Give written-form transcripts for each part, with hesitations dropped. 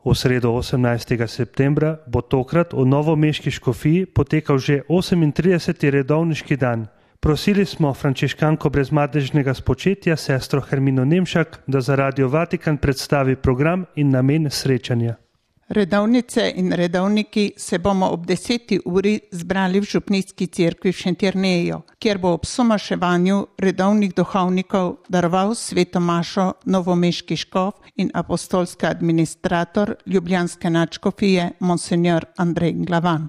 V sredo 18. septembra bo tokrat v novomeški škofiji potekal že 38. redovniški dan. Prosili smo frančiškanko brezmadežnega spočetja, sestro Hermino Nemšak, da za Radio Vatikan predstavi program in namen srečanja. Redovnice in redovniki se bomo ob 10. uri zbrali v Župnijski cerkvi v Šentjerneju, kjer bo ob somaševanju redovnih duhovnikov daroval sveto mašo novomeški škof in apostolski administrator ljubljanske nadškofije monsignor Andrej Glavan.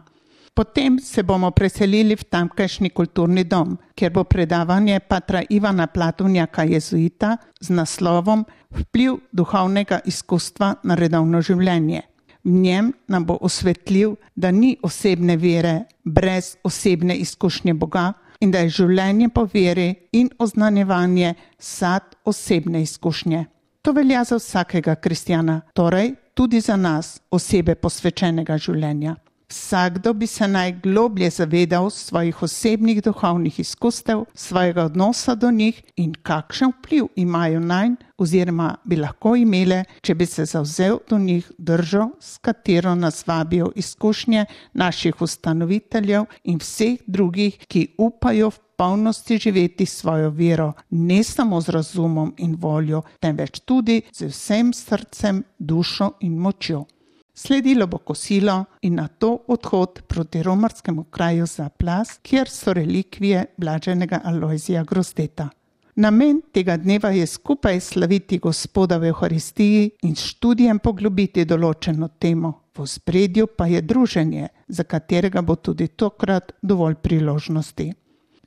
Potem se bomo preselili v tamkajšnji kulturni dom, kjer bo predavanje patra Ivana Platovnjaka jezuita z naslovom Vpliv duhovnega izkustva na redovno življenje. V njem nam bo osvetlil, da ni osebne vere brez osebne izkušnje Boga in da je življenje po veri in oznanjevanje sad osebne izkušnje. To velja za vsakega kristjana, torej tudi za nas, osebe posvečenega življenja. Vsakdo bi se najgloblje zavedal svojih osebnih duhovnih izkustev, svojega odnosa do njih in kakšen vpliv imajo nanj oziroma bi lahko imele, če bi se zavzel do njih držo, s katero nas vabijo izkušnje naših ustanoviteljev in vseh drugih, ki upajo v polnosti živeti svojo vero, ne samo z razumom in voljo, temveč tudi z vsem srcem, dušo in močjo. Sledilo bo kosilo in nato odhod proti romarskemu kraju Zaplas, kjer so relikvije blaženega Alojzija Grozdeta. Namen tega dneva je skupaj slaviti Gospoda v Evharistiji in s študijem poglobiti določeno temo. V ospredju pa je druženje, za katerega bo tudi tokrat dovolj priložnosti.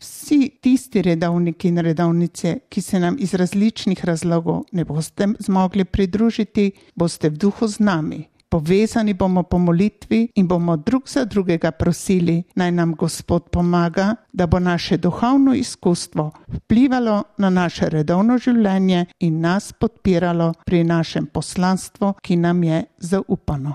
Vsi tisti redovniki in redovnice, ki se nam iz različnih razlogov ne boste zmogli pridružiti, boste v duhu z nami. Povezani bomo po molitvi in bomo drug za drugega prosili, naj nam Gospod pomaga, da bo naše duhovno izkustvo vplivalo na naše redovno življenje in nas podpiralo pri našem poslanstvu, ki nam je zaupano.